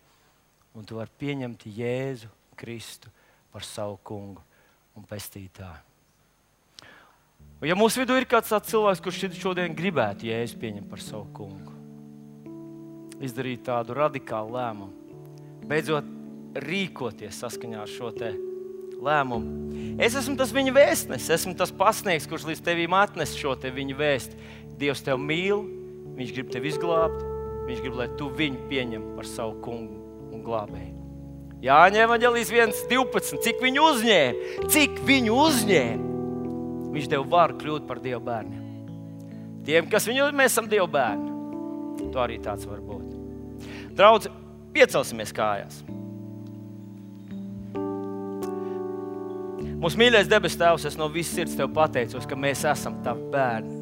un tu vari pieņemt Jēzu Kristu par savu kungu un pestītāju. Un ja mūsu vidū ir kāds tāds cilvēks, kurš šodien gribētu Jēzu pieņemt par savu kungu, izdarīt tādu radikālu lēmumu, beidzot rīkoties saskaņā ar šo te lēmumu. Es esmu tas viņa vēstnesis, esmu tas pasniegs, kurš līdz tevīm atnes šo te viņa vēsti. Dievs tev mīl, Viņš grib tevi izglābt, Viņš grib, lai tu viņu pieņem par savu kungu un glābēju. Jāņa evaņģēlijas viens divpadsmit, cik viņu uzņēma, cik viņu uzņēma, Viņš tev var kļūt par Dieva bērniem. Tiem, kas viņu, mēs esam Dieva bērni. To arī tāds var būt. Draudzi, piecelsimies kājās. Mūsu mīļais debes Tēvs, es no visas sirds Tev pateicos, ka mēs esam Tavi bērni.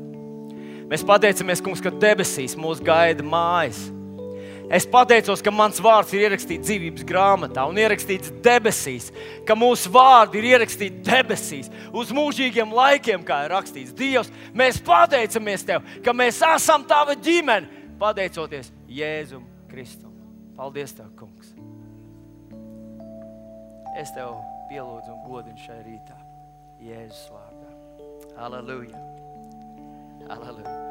Mēs pateicamies, kungs, ka debesīs mūs gaida mājas. Es pateicos, ka mans vārds ir ierakstīts dzīvības grāmatā un ierakstīts debesīs, ka mūsu vārdi ir ierakstīti debesīs, uz mūžīgiem laikiem, kā ir rakstīts. Dievs, mēs pateicamies Tev, ka mēs esam Tava ģimene, pateicoties Jēzum Kristum. Paldies Tev, kungs. Es Tev pielūdzu un godinu šai rītā. Jēzus vārdā. Halleluja. Halleluja.